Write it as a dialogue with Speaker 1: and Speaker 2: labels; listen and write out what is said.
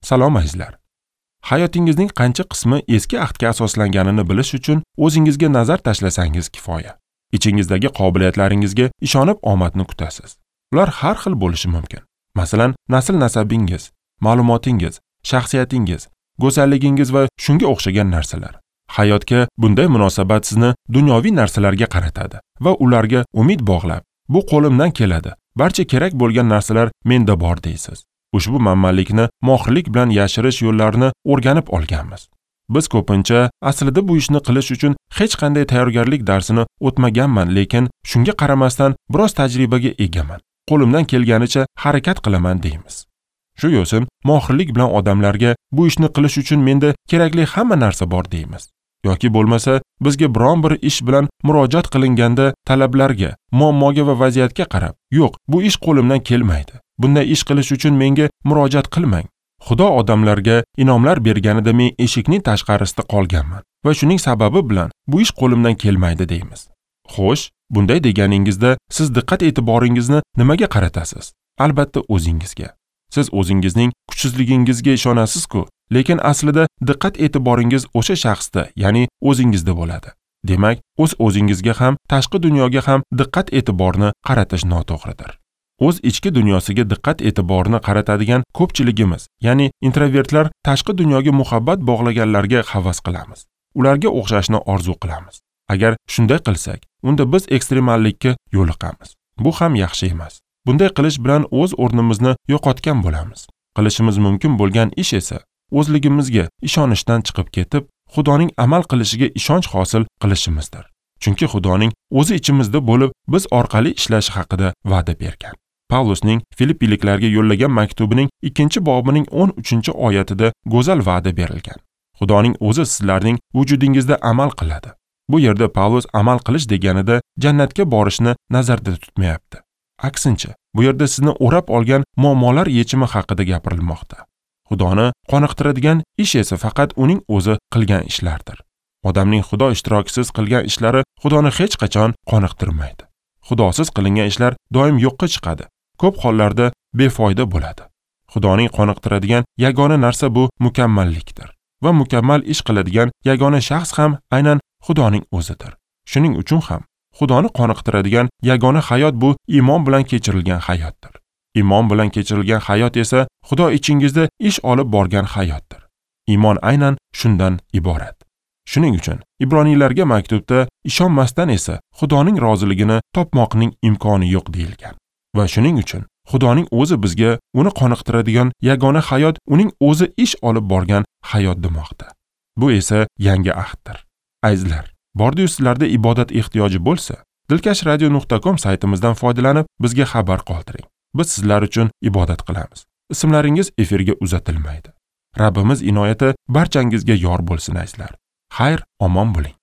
Speaker 1: Salom azizlar. Hayotingizning qancha qismi eski ahdga asoslanganini bilish uchun o'zingizga nazar tashlasangiz kifoya. Ichingizdagi qobiliyatlaringizga ishonib omadni kutasiz. Ular har xil bo'lishi mumkin. Masalan, nasl-nasabingiz, ma'lumotingiz, shaxsiyatingiz, go'zalligingiz va shunga o'xshagan narsalar. Hayotga bunday munosabat sizni dunyoviy narsalarga qaratadi va ularga umid bog'lab, bu qo'limdan keladi, barcha kerak bo'lgan narsalar menda bor deysiz. Ushbu manmanlikni mohirlik bilan yashirish yo'llarini o'rganib olganmiz. Biz ko'pincha aslida bu ishni qilish uchun hech qanday tayyorgarlik darsini o'tmaganman, lekin shunga qaramasdan biroz tajribaga egaman. Qo'limdan kelganicha harakat qilaman deymiz. Shu yo'sin mohirlik bilan odamlarga bu ishni qilish uchun menda kerakli hamma narsa bor deymiz. Yoki bo'lmasa, bizga biron bir ish bilan murojaat qilinganda talablarga, muammoga va vaziyatga qarab, yo'q, bu ish qo'limdan kelmaydi. Bunday ish qilish uchun menga murojaat qilmang. Xudo odamlarga inomlar berganida men eshikning tashqarisida qolganman va shuning sababi bilan bu ish qo'limdan kelmaydi deymiz. Xo'sh, bunday deganingizda siz diqqat e'tiboringizni nimaga qaratasiz? Albatta o'zingizga. Siz o'zingizning kuchsizligingizga ishonasiz-ku, lekin aslida diqqat e'tiboringiz o'sha shaxsda, ya'ni o'zingizda bo'ladi. Demak, o'z o'zingizga ham, tashqi dunyoga ham diqqat e'tiborni qaratish noto'g'ridir. O'z ichki dunyosiga diqqat e'tiborni qaratadigan ko'pchiligimiz, ya'ni introvertlar tashqi dunyoga muhabbat bog'laganlarga havas qilamiz. Ularga o'xshashni orzu qilamiz. Agar shunday qilsak, unda biz ekstremallikka yo'liqamiz. Bu ham yaxshi emas. Bunday qilish bilan o'z o'rnimizni yo'qotgan bo'lamiz. Qilishimiz mumkin bo'lgan ish esa o'zligimizga ishonishdan chiqib ketib, Xudoning amal qilishiga ishonch hosil qilishimizdir. Chunki Xudoning o'zi ichimizda bo'lib, biz orqali ishlashi haqida va'da bergan. Pavlusning Filippiliklarga yo'llagan maktubining 2-bobining 13-oyatida go'zal va'da berilgan. Xudoning o'zi sizlarning vujudingizda amal qiladi. Bu yerda Pavlus amal qilish deganida jannatga borishni nazarda tutmayapti. Aksincha, bu yerda sizni o'rab olgan muammolar yechimi haqida gapirilmoqda. Xudoni qoniqtiradigan ish esa faqat uning o'zi qilgan ishlardir. Odamning Xudo ishtirokisiz qilgan ishlari Xudoni hech qachon qoniqtirmaydi. Xudosiz qilingan ishlar doim yo'qqa chiqadi. Ko'p hollarda befoyda bo'ladi. Xudoning qoniqtiradigan yagona narsa bu mukammallikdir. Va mukammal ish qiladigan yagona shaxs ham aynan Xudoning o'zidir. Shuning uchun ham Xudoni qoniqtiradigan yagona hayot bu iymon bilan kechirilgan hayotdir. Iymon bilan kechirilgan hayot esa Xudo ichingizda ish olib borgan hayotdir. Iymon aynan shundan iborat. Shuning uchun Ibroniylarga maktubda ishonmasdan esa Xudoning roziligini topmoqning imkoni yo'q deyilgan. Va shuning uchun Xudoning o'zi bizga uni qoniqtiradigan yagona hayot uning o'zi ish olib borgan hayot demoqda. Bu esa yangi ahddir. Azizlar, bordi-yu sizlarda ibodat ehtiyoji bo'lsa, dilkashradio.com saytimizdan foydalanib bizga xabar qoldiring. Biz sizlar uchun ibodat qilamiz. Ismlaringiz efirga uzatilmaydi. Rabbimiz inoyati barchangizga yor bo'lsin azizlar. Xayr, omon bo'ling.